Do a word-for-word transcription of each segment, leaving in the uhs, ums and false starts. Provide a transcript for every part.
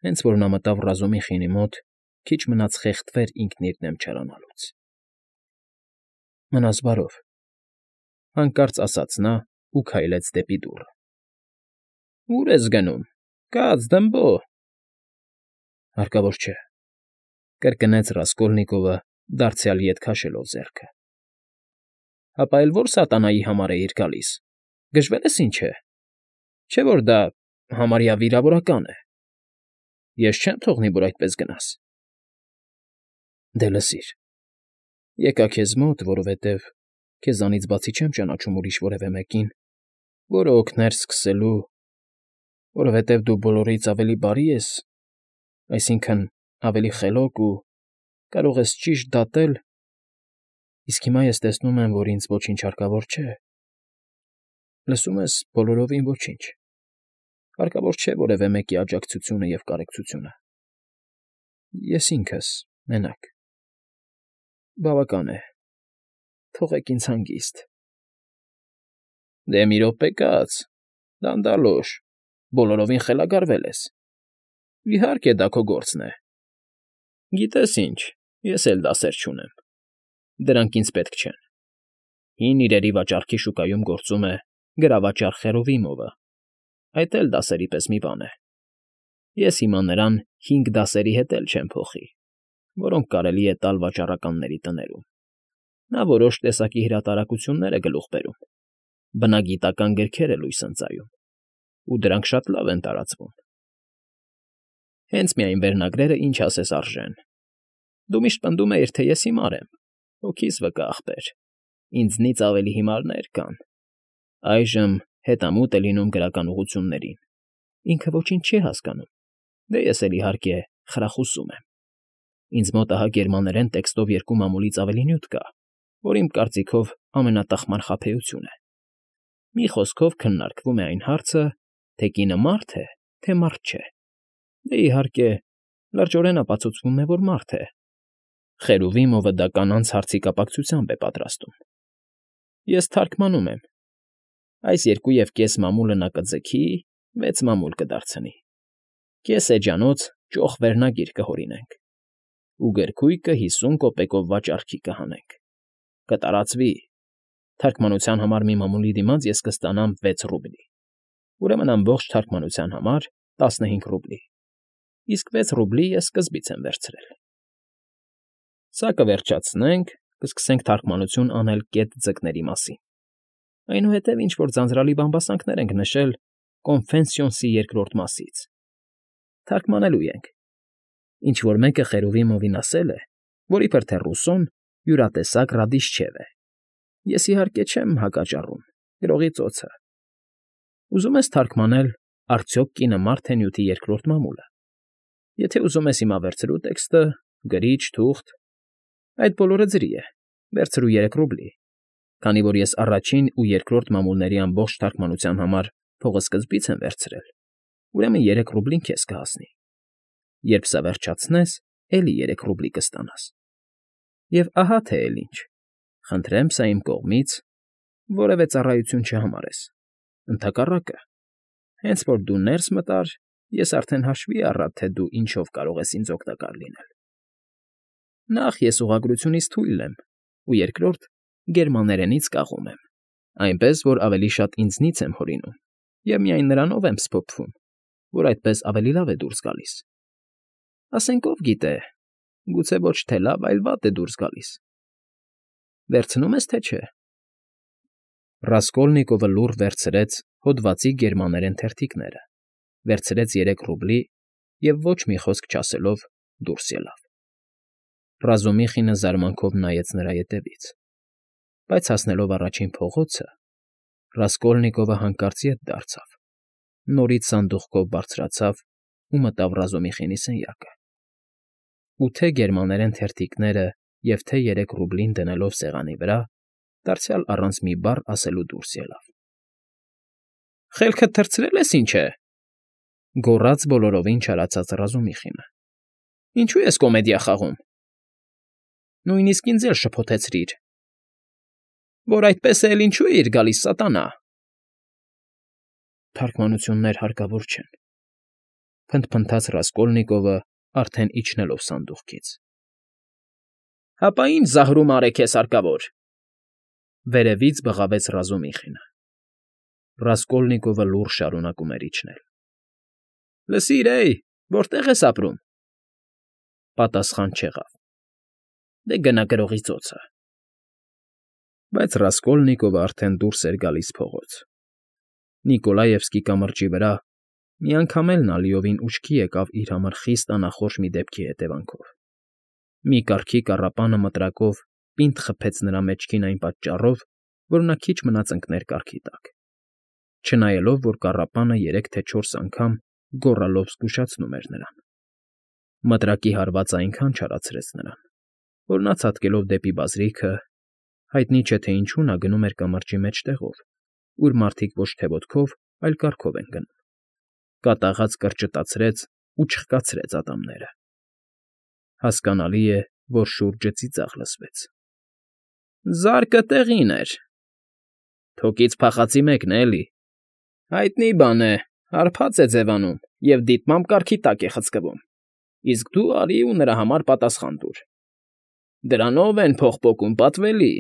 Հենց որ նա մտավ Ռազումիխինի մոտ, քիչ մնաց խեղդվեր ինքն իր դեմ չարանալուց։ ֊ Մնաս բարով,֊ հանկարծ ասաց նա ու քայլեց դեպի դուռը։ ֊ Ո՞ւր ես գնում, կաց, դմբո… ֊ Հարկավոր չէ,֊ կրկնեց Ռասկոլնիկովը, դարձյալ ետ քաշելով ձեռքը։ ֊ Հապա էլ ո՞ր սատանայի համար էիր գալիս, գժվել ես ինչ է… Չէ՞ որ դա համարյա վիրավորական է… Ես չեմ թողնի, որ այդպես գնաս… ֊ Դե լսիր, եկա քեզ մոտ, որովհետև քեզանից բացի չեմ ճանաչում ուրիշ որևէ մեկին, որը օգներ սկսելու… Որովհետև դու բոլորից ավելի բարի ես, այսինքն՝ ավելի խելոք ու… կարող ես ճիշտ դատել… Իսկ հիմա ես տեսնում եմ, որ ինձ ոչինչ հարկավոր չէ… Լսում ես, բոլորովին ոչինչ… Հարկավոր չէ որևէ մեկի աջակցությունը և կարեկցությունը… Ես ինքս, մենակ… Բավական է… Թողեք ինձ հանգիստ… ֊ Դե մի րոպե կաց, դանդալոշ, բոլորովին խելագարվել ես… Իհարկե, դա քո գործն է… Գիտես ինչ, ես էլ դասեր չունեմ… Դրանք ինձ պետք չեն… Հին իրերի վաճառքի շուկայում գործում է գրավաճառ Խերովիմովը, այդ էլ դասերի պես մի բան է… Ես հիմա նրան հինգ դասերի հետ էլ չեմ փոխի, որոնք կարելի է տալ վաճառականների տներում… Նա որոշ տեսակի հրատարակություններ է գլուխ բերում, բնագիտական գրքեր է լույս ընծայում, ու դրանք շատ լավ են տարածվում… Հենց միայն վերնագրերը ինչ ասես արժեն… Դու միշտ պնդում էիր, թե ես հիմար եմ, հոգիս վկա ախպեր, ինձնից ավելի հիմարներ կան… Այժմ հետամուտ է լինում գրական ուղղություններին, ինքը ոչինչ չի հասկանում, դե ես էլ, իհարկե, խրախուսում եմ… Ինձ մոտ ահա գերմաներեն տեքստով երկու մամուլից ավելի նյութ կա, որ իմ կարծիքով ամենատխմար խաբեություն է… Մի խոսքով քննարկվում է այն հարցը, թե կինը մարդ է, թե մարդ չէ… Դե, իհարկե, լրջորեն ապացուցվում է, որ մարդ է… Խերովիմովը դա կանանց հարցի կապակցությամբ է պատրաստում… Ես թարգմանում եմ… Այս երկու և կես մամուլը նա կձգի, վեց մամուլ կդարձնի… Կես էջանոց ճոխ վերնագիր կհորինենք… Ու գրքույկը հիսուն կոպեկով վաճառքի կհանենք… Կտարածվի… Թարգմանության համար մի մամուլի դիմաց ես կստանամ վեց ռուբլի… Ուրեմն ամբողջ թարգմանության համար տասնհինգ ռուբլի… Իսկ վեց ռուբլի ես սկզբից եմ վերցրել… Սա կվերջացնենք, կսկսենք թարգմանություն անել կետ ձկների մասին… Այնուհետև ինչ֊որ ձանձրալի բամբասանքներ ենք նշել Կոնֆենսիոնսի երկրորդ մասից… Թարգմանելու ենք… Ինչ֊որ մեկը Խերովիմովին ասել է, որ իբրև թե Ռուսոն յուրատեսակ Ռադիչեվ է… Ես, իհարկե, չեմ հակաճառում, գրողի ծոցը… Ուզում ես թարգմանել «Արդյոք կինը մարդ է» նյութի երկրորդ մամուլը… Եթե ուզում ես հիմա վերցրու տեքստը, գրիչ, թուղթ… Այդ բոլորը ձրի է, վերցրու երեք ռուբլի, քանի որ ես առաջին ու երկրորդ մամուլների ամբողջ թարգմանության համար փողը սկզբից եմ վերցրել, ուրեմն երեք ռուբլին քեզ կհասնի… Երբ սա վերջացնես, էլի երեք ռուբլի կստանաս… Եվ ահա թե էլ ինչ… Խնդրեմ սա իմ կողմից որևէ ծառայություն չհամարես… Ընդհակառակը, հենց որ դու ներս մտար, ես արդեն հաշվի առա, թե դու ինչով կարող ես ինձ օգտակար լինել… Նախ, ես ուղղագրությունից թույլ եմ, ու երկրորդ, գերմաներենից կաղում եմ, այնպես որ ավելի շատ ինձնից եմ հորինում և միայն նրանով եմ սփոփվում, որ այդպես ավելի լավ է դուրս գալիս… Ասենք, ով գիտե, գուցե ոչ թե լավ, այլ վատ է դուրս գալիս… Վերցնո՞ւմ ես, թե չէ… Ռասկոլնիկովը լուռ վերցրեց հոդվածի գերմաներեն թերթիկները, վերցրեց երեք ռուբլի և ոչ մի խոսք չասելով դուրս ելավ… Ռազումիխինը զարմանքով նայեց նրա ետևից, բայց հասնելով առաջին փողոցը, Ռասկոլնիկովը հանկարծ ետ դարձավ, նորից սանդուղքով բարձրացավ ու մտավ Ռազումիխինի սենյակը… Ու թե՛ գերմաներեն թերթիկները և թե՛ երեք ռուբլին դնելով սեղանի վրա, դարձյալ առանց մի բառ ասելու դուրս ելավ… ֊ Խելքդ թռցրել ես, ինչ է,֊ գոռաց բոլորովին չարացած Ռազումիխինը։֊ Ինչո՞ւ ես կոմեդիա խաղում… Նույնիսկ ինձ էլ շփոթեցրիր… Որ այդպես է, էլ ինչո՞ւ էիր գալիս, սատանա… Թարգմանություններ հարկավոր չեն… Փնթփնթաց Ռասկոլնիկովը, արդեն իջնելով սանդուղքից։ ֊ Հապա ի՞նչ զահրում արեք քեզ հարկավոր,֊ վերևից բղավեց Ռազումիխինը։ Ռասկոլնիկովը լուռ շարունակում էր իջնել։ ֊ Լսիր, հեյ, որտե՞ղ ես ապրում,֊ պատասխան չեղավ։ ֊ Դե գնա գրողի ծոցը։ Բայց Ռասկոլնիկովը արդեն դուրս էր գալիս փողոց։ Նիկոլաևսկի կամրջի վրա միանգամ էլ նա լիովին ուշքի եկավ իր համար խիստ անախորժ մի դեպքի հետևանքով։ Մի կառքի կառապանը մտրակով պինդ խփեց նրա մեջքին այն պատճառով, որ նա քիչ մնաց ընկներ կառքի տակ, չնայելով, որ կառապանը երեք թե չորս անգամ գոռալով զգուշացնում էր նրան։ Մտրակի հարվածը այնքան չարացրեց նրան, որ նա ցատկելով դեպի բազրիքը, հայտնի չէ թե ինչու նա գնում էր կամրջի մեջտեղով, ուր մարդիկ ոչ թե ոտքով, այլ կառքով են գնում, կատաղած կրճտացրեց ու չխկացրեց ատամները։ Հասկանալի է, որ շուրջը ծիծաղ լսվեց։ ֊ Զարկը տեղին էր… Թոկից փախածի մեկն է, էլի… Հայտնի բան է, հարբած է ձևանում և դիտմամբ կառքի տակ է խցկվում, իսկ դու արի ու նրա համար պատասխան տուր… Դրանով են փող պոկում, պատվելի…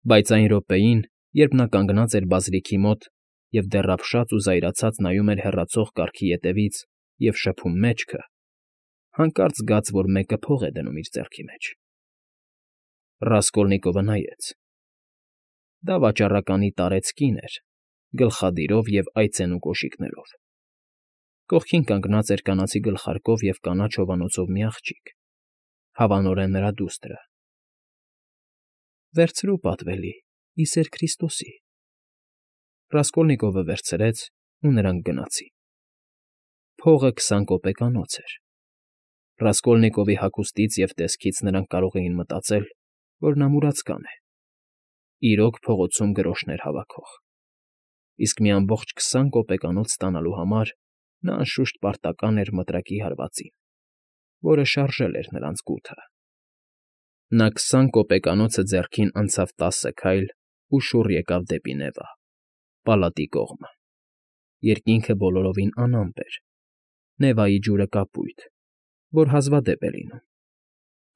Բայց այն րոպեին, երբ նա կանգնած էր բազրիքի մոտ և դեռ ապշած ու զայրացած նայում էր հեռացող կառքի ետևից և շփում մեջքը, հանկարծ զգաց, որ մեկը փող է դնում իր ձեռքի մեջ։ Ռասկոլնիկովը նայեց. դա վաճառականի տարեց կին էր, գլխադիրով և այծեն ու կոշիկներով։ Կողքին կանգնած էր կանացի գլխարկով և կանաչ հովանոցով մի աղջիկ, հավանորեն նրա դուստրը։ ֊ Վերցրու, պատվելի, ի սեր Քրիստոսի… Ռասկոլնիկովը վերցրեց, ու նրանք գնացին։ Փողը քսան կոպեկանոց էր։ Ռասկոլնիկովի հագուստից և տեսքից նրանք կարող էին մտածել, որ նա մուրացկան է, իրոք փողոցում գրոշներ հավաքող, իսկ մի ամբողջ քսան կոպեկանոց ստանալու համար նա անշուշտ պարտական էր մտրակի հարվածին, որը շարժել էր նրանց գութը։ Նա քսան կոպեկանոցը ձեռքին անցավ տասը քայլ ու շուռ եկավ դեպի Նևա, պալատի կողմը։ Երկինքը բոլորովին անամպ էր, Նևայի ջուրը կապույտ, որ հազվադեպ է լինում։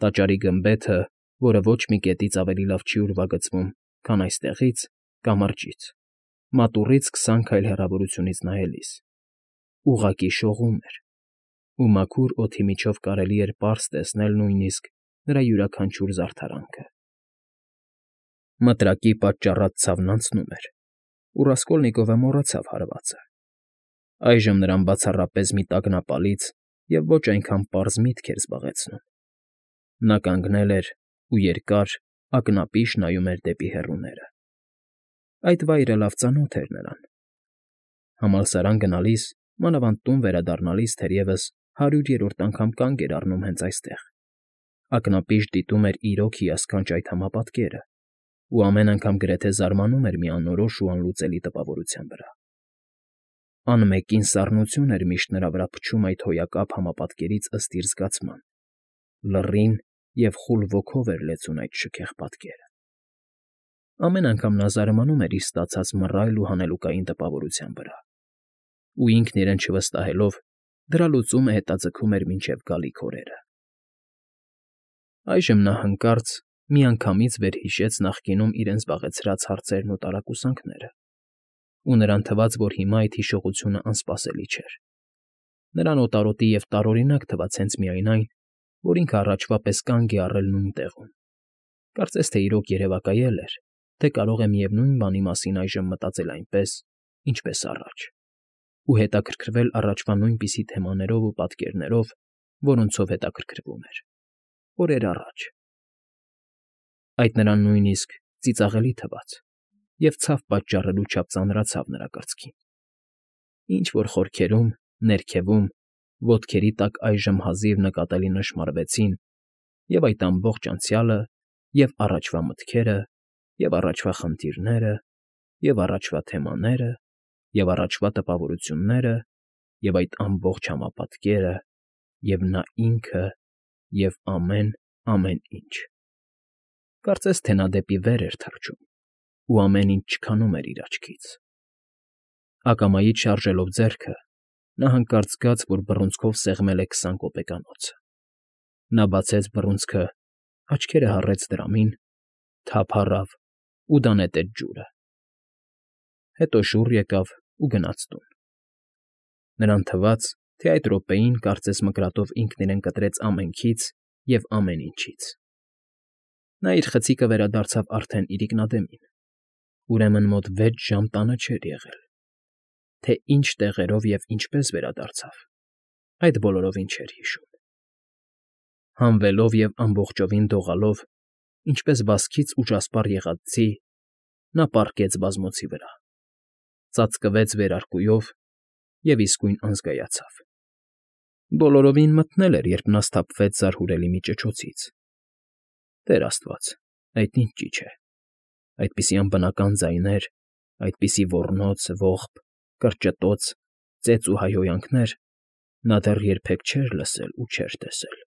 Տաճարի գմբեթը, որը ոչ մի կետից ավելի լավ չի ուրվագծվում, քան այստեղից, կամրջից, մատուռից քսան քայլ հեռավորությունից նայելիս, ուղղակի շողում էր, ու մաքուր օդի միջով կարելի էր պարզ տեսնել նույնիսկ նրա յուրաքանչյուր զարդարանքը։ Մտրակի պատճառած ցավն անցնում էր, ու Ռասկոլնիկովը մոռացավ հարվածը։ Այժմ նրան բացառապես մի տագնապալից և ոչ այնքան պարզ միտք էր զբաղեցնում։ Նա կանգնել էր ու երկար, ակնապիշ նայում էր դեպի հեռուները։ Այդ վայրը լավ ծանոթ էր նրան։ Համալսարան գնալիս, մանավանդ տուն վերադառնալիս թերևս հարյուրերորդ անգամ կանգ էր առնում հենց այստեղ, ակնապիշ դիտում էր իրոք հիասքանչ այդ համապատկերը ու ամեն անգամ գրեթե զարմանում էր մի անորոշ ու անլուծելի տպավորության վրա։ Անմեկին սառնություն էր միշտ նրա վրա փչում այդ հոյակապ համապատկերից ըստ իր զգացման, լռին և խուլ ոգով էր լեցուն այդ շքեղ պատկերը։ Ամեն անգամ նա զարմանում էր իր ստացած մռայլ ու հանելուկային տպավորության վրա, ու ինքն իրեն չվստահելով, դրա լուծումը հետաձգում էր մինչև գալիք օրերը։ Այժմ նա հանկարծ միանգամից վերհիշեց նախկինում իրեն զբաղեցրած հարցերն ու տարակուսանքները, ու նրան թվաց, որ հիմա այդ հիշողությունը անսպասելի չէր։ Նրան օտարոտի և տարօրինակ թվաց հենց միայն այն, որ ինքը առաջվա պես կանգ է առել նույն տեղում, կարծես թե իրոք երևակայել էր, թե կարող է միևնույն բանի մասին այժմ մտածել այնպես, ինչպես առաջ, ու հետաքրքրվել առաջվա նույնպիսի թեմաներով ու պատկերներով, որոնցով հետաքրքրվում էր օրեր առաջ։ Այդ նրան նույնիսկ ծիծաղելի թվաց և ցավ պատճառելու չափ ծանրացավ նրա կրծքին։ Ինչ֊որ խորքերում, ներքևում, ոտքերի տակ այժմ հազիվ նկատելի նշմարվեցին և այդ ամբողջ անցյալը, և առաջվա մտքերը, և առաջվա խնդիրները, և առաջվա թեմաները, և առաջվա տպավորությունները, և այդ ամբողջ համապատկերը, և նա ինքը, և ամեն, ամեն ինչ… Կարծես թե նա դեպի վեր էր թռչում, ու ամեն ինչ չքանում էր իր աչքից։ Ակամայից շարժելով ձեռքը՝ Նա հանկարծ զգաց, որ բռունցքով սեղմել է քսան կոպեկանոցը։ Նա բացեց բռունցքը, աչքերը հառեց դրամին, թափ առավ ու դա նետեց ջուրը։ Հետո շուռ եկավ ու գնաց տուն։ Նրան թվաց, թե այդ րոպեին կարծես մկրատով ինքն իրեն կտրեց ամենքից և ամեն ինչից։ Նա իր խցիկը վերադարձավ արդեն իրիկնադեմին, ուրեմն մոտ վեց ժամ տանը չէր եղել։ Թե ինչ տեղերով և ինչպես վերադարձավ, այդ բոլորովին չէր հիշում։ Հանվելով և ամբողջովին դողալով, ինչպես վազքից ուժասպառ եղած ձի, նա պառկեց բազմոցի վրա, ծածկվեց վերարկուով և իսկույն անզգայացավ։ Բոլորովին մթնել էր, երբ նա սթափվեց զարհուրելի մի ճչոցից։ Տեր աստված, այդ ինչ ճիչ է։ Այդպիսի անբնական ձայներ, այդպիսի ոռնոց, ողբ, կրճտոց, ծեծ ու հայհոյանքներ նա դեռ երբեք չէր լսել ու չէր տեսել։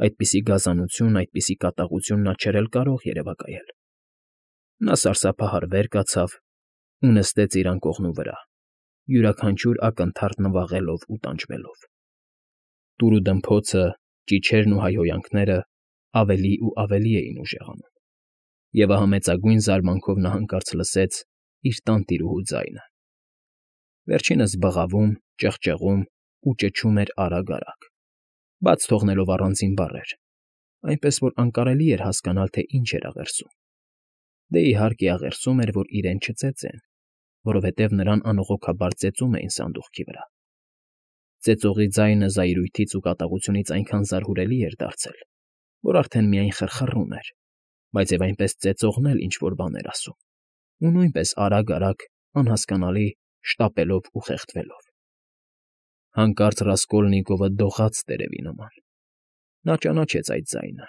Այդպիսի գազանություն, այդպիսի կատաղություն նա չէր էլ կարող երևակայել։ Նա սարսափահար վեր կացավ ու նստեց իր անկողնու վրա, յուրաքանչյուր ակնթարթ նվաղելով ու տանջվելով։ Տուրուդմփոցը, ճիչերն ու հայհոյանքները ավելի ու ավելի էին ուժեղանում, և ահա մեծագույն զարմանքով նա հանկարծ լսեց իր տանտիրուհու ձայնը։ Վերջինս բղավում, ճղճղում ու ճչում էր արագ֊արագ, բաց թողնելով առանձին բառեր, այնպես որ անկարելի էր հասկանալ, թե ինչ էր աղերսում։ Դե, իհարկե, աղերսում էր, որ իրեն չծեծեն, որովհետև նրան անողոքաբար ծեծում էին սանդուղքի վրա։ Ծեծողի ձայնը զայրույթից ու կատաղությունից այնքան զարհուրելի էր դարձել, որ արդեն միայն խռխռում էր, բայց և այնպես ծեծողն էլ ինչ֊որ բան էր ասում, ու նույնպես արագ֊արագ, անհասկանալի, շտապելով ու խեղդվելով։ Հանկարծ Ռասկոլնիկովը դողաց տերևի նման։ Նա ճանաչեց այդ ձայնը։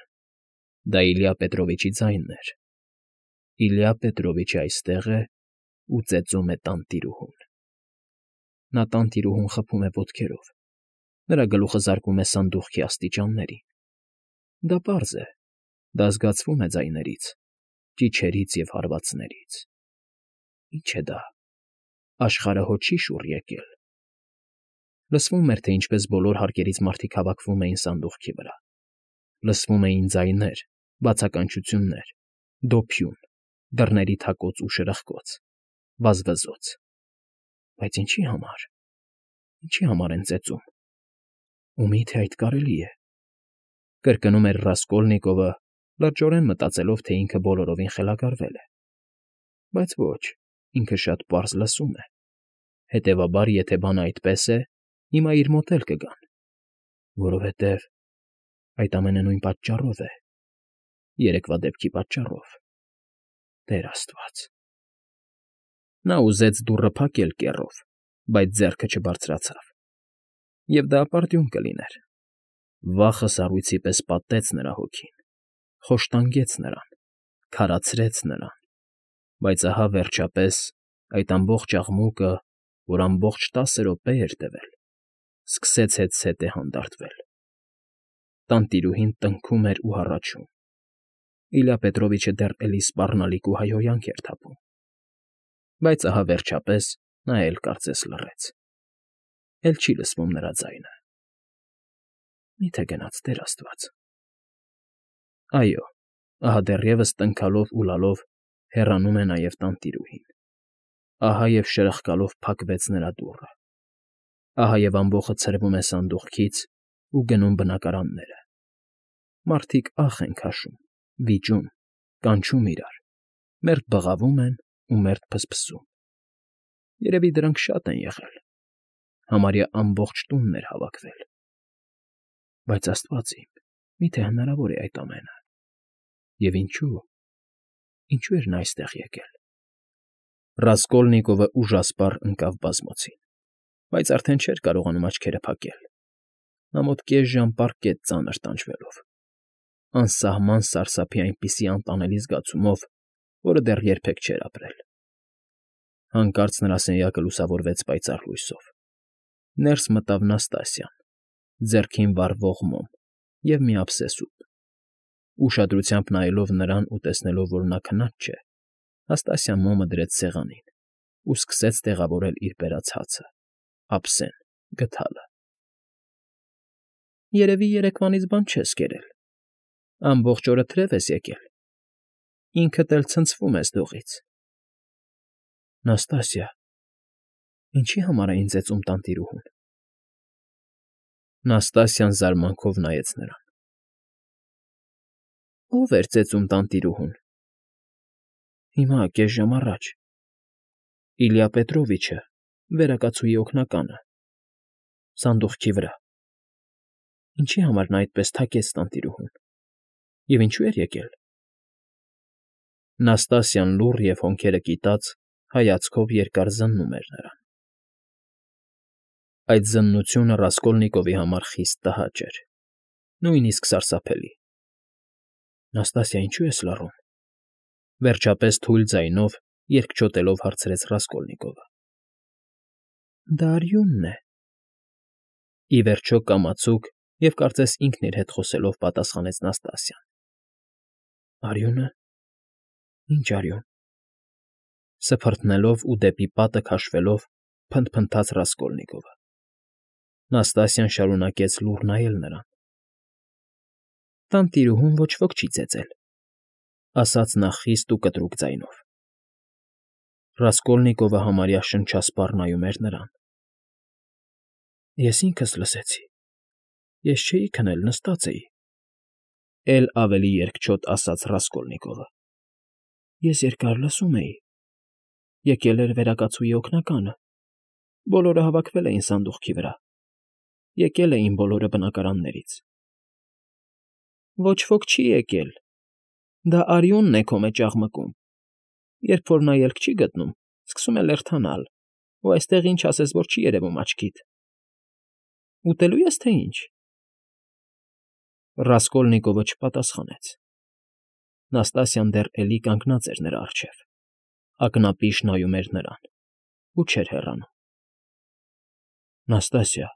Դա Իլյա Պետրովիչի ձայնն էր։ Իլյա Պետրովիչը այստեղ է ու ծեծում է տանտիրուհուն։ Նա տանտիրուհուն խփում է ոտքերով, նրա գլուխը զարկում է սանդուղքի աստիճաններին։ Դա պարզ է, դա զգացվում է ձայներից, ճիչերից և հարվածներից։ Ի՞նչ է դա, աշխարհը հո չի շուռ եկել։ Լսվում էր, թե ինչպես բոլոր հարկերից մարդիկ հավաքվում էին սանդուղքի վրա։ Լսվում էին ձայներ, բացականչություններ, դոփյուն, դռների թակոց ու շրխկոց, վազվզոց։ Բայց ինչի համար, ինչի համար են ծեծում։ Ու մի՞թե այդ կարելի է։ Կրկնում էր Ռասկոլնիկովը, լրջորեն մտածելով, թե ինքը բոլորովին խելագարվել է։ Բայց ոչ, ինքը շատ պարզ լսում է։ Հետևաբար, եթե բանը այդպես է, հիմա իր մոտ էլ կգան, որովհետև այդ ամենը նույն պատճառով է, երեկվա դեպքի պատճառով։ Տեր աստված։ Նա ուզեց դուռը փակել կեռով, բայց ձեռքը չբարձրացավ։ Եվ դա ապարդյուն կլիներ։ Վախը սառույցի պես պատեց նրա հոգին, խոշտանգեց նրան, քարացրեց նրան։ Բայց ահա, վերջապես, այդ ամբողջ աղմուկը, որ ամբողջ տասը րոպե էր տևել, սկսեց հետզհետե հանդարտվել։ Տանտիրուհին տնքում էր ու հառաչում։ Իլյա Պետրովիչը դեռ էլի սպառնալիք ու հայհոյանք էր թափում։ Բայց ահա, վերջապես, նա էլ կարծես լռեց։ Էլ չի լսվում նրա ձայնը։ Մի՞թե գնաց, Տեր աստված։ Այո, ահա դեռևս տնքալով ու լալով հեռանում է նաև տանտիրուհին։ Ահա և շրխկալով փակվեց նրա դուռը։ Ահա և ամբոխը ցրվում է սանդուղքից ու գնում բնակարանները։ Մարդիկ ախ են քաշում, վիճում, կանչում իրար, մերթ բղավում են ու մերթ փսփսում։ Երևի դրանք շատ են եղել։ Համարյա ամբողջ տունն էր հավաքվել։ Բայց աստված իմ, մի՞թե հնարավոր է այդ ամենը։ Եվ ինչու՞, ինչու էր նա այստեղ եկել։ Ռասկոլնիկովը ուժասպառ ընկավ բազմոցին, բայց արդեն չէր կարողանում աչքերը փակել։ Նա մոտ կես ժամ պառկեց ծանր տանջվելով, անսահման սարսափի այնպիսի անտանելի զգացումով, որը դեռ երբեք չէր ապրել։ Հանկարծ նրա սենյակը լուսավորվեց պայծառ լույսով։ Ներս մտավ Նաստասիան, ձեռքին վառվող մոմ և մի ափսե սուպ։ Ուշադրությամբ նայելով նրան ու տեսնելով, որ նա քնած չէ, Նաստասիան մոմը դրեց սեղանին ու սկսեց տեղավորել իր բերած հացը, ափսեն, գդալը։ Երևի երեկվանից բան չես կերել, ամբողջ օրը թրև ես եկել, ինքդ էլ ցնցվում ես դողից։ Նաստասիա, ինչի համար է ինձ էծում տանտիրուհուն։ Նաստասիան զարմանքով նայեց նրան։ Ո՞վ էր ծեծում տանտիրուհուն։ Հիմա կես ժամ առաջ։ Իլյա Պետրովիչը, վերակացուի օգնականը, սանդուղքի վրա։ Ինչի համար նա այդպես թակեց տանտիրուհուն։ Եվ ինչու էր եկել։ Նաստասիան լուռ և հոնքերը կիտած հայացքով երկար զննում էր նրան։ Այդ զննությունը Ռասկոլնիկովի համար խիստ տհաճ էր, նույնիսկ սարսափելի։ Նաստասիա, ինչու ես լռում։ Վերջապես թույլ ձայնով, երկչոտելով հարցրեց Ռասկոլնիկովը։ Դա արյունն է։ Ի վերջո կամացուկ և կարծես ինքն իր հետ խոսելով պատասխանեց Նաստասիան։ Արյունը։ Ինչ արյուն։ Սփռտնելով ու դեպի պատը քաշվելով փնթփնթաց Ռասկոլնիկովը։ Նաստասիան շարունակեց լուռ նայել նրան։ Տանտիրուհուն ոչ ոք չի ծեծել, ասաց նա խիստ ու կտրուկ ձայնով։ Ռասկոլնիկովը համարյա շնչասպառ նայում էր նրան։ Ես ինքս լսեցի։ Ես չէի քնել, նստած էի,֊ էլ ավելի երկչոտ ասաց Ռասկոլնիկովը։ Ես երկար լսում էի։ Եկել էր վերակացուի օգնականը։ Բոլորը հավաքվել էին սանդուղքի վրա։ Եկել էին բոլորը բնակարաններից։ Ոչ ոք չի եկել։ Դա արյունն է քո մեջ աղմկում։ Երբ որ նա ելք չի գտնում, սկսում է լերդանալ, ու այստեղ ինչ ասես որ չի երևում աչքիդ։ Ուտելո՞ւ ես, թե ինչ։ Ռասկոլնիկովը չպատասխանեց։ Նաստասիան դեռ էլի կանգնած էր նրա առջև, ակնապիշ նայում էր նրան ու չէր հեռանում։ Նաստասիա,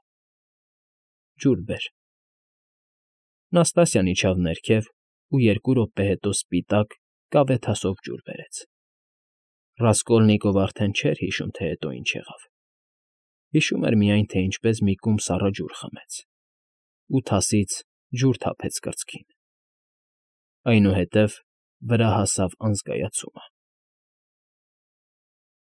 ջուր բեր։ Նաստասիան իջավ ներքև ու երկու րոպե հետո սպիտակ, կավե թասով ջուր բերեց։ Ռասկոլնիկովը արդեն չէր հիշում, թե հետո ինչ եղավ։ Հիշում էր միայն, թե ինչպես մի կում սառը ջուր խմեց ու թասից ջուր թափեց կրծքին։ Այնուհետև վրա հասավ անզգայացումը։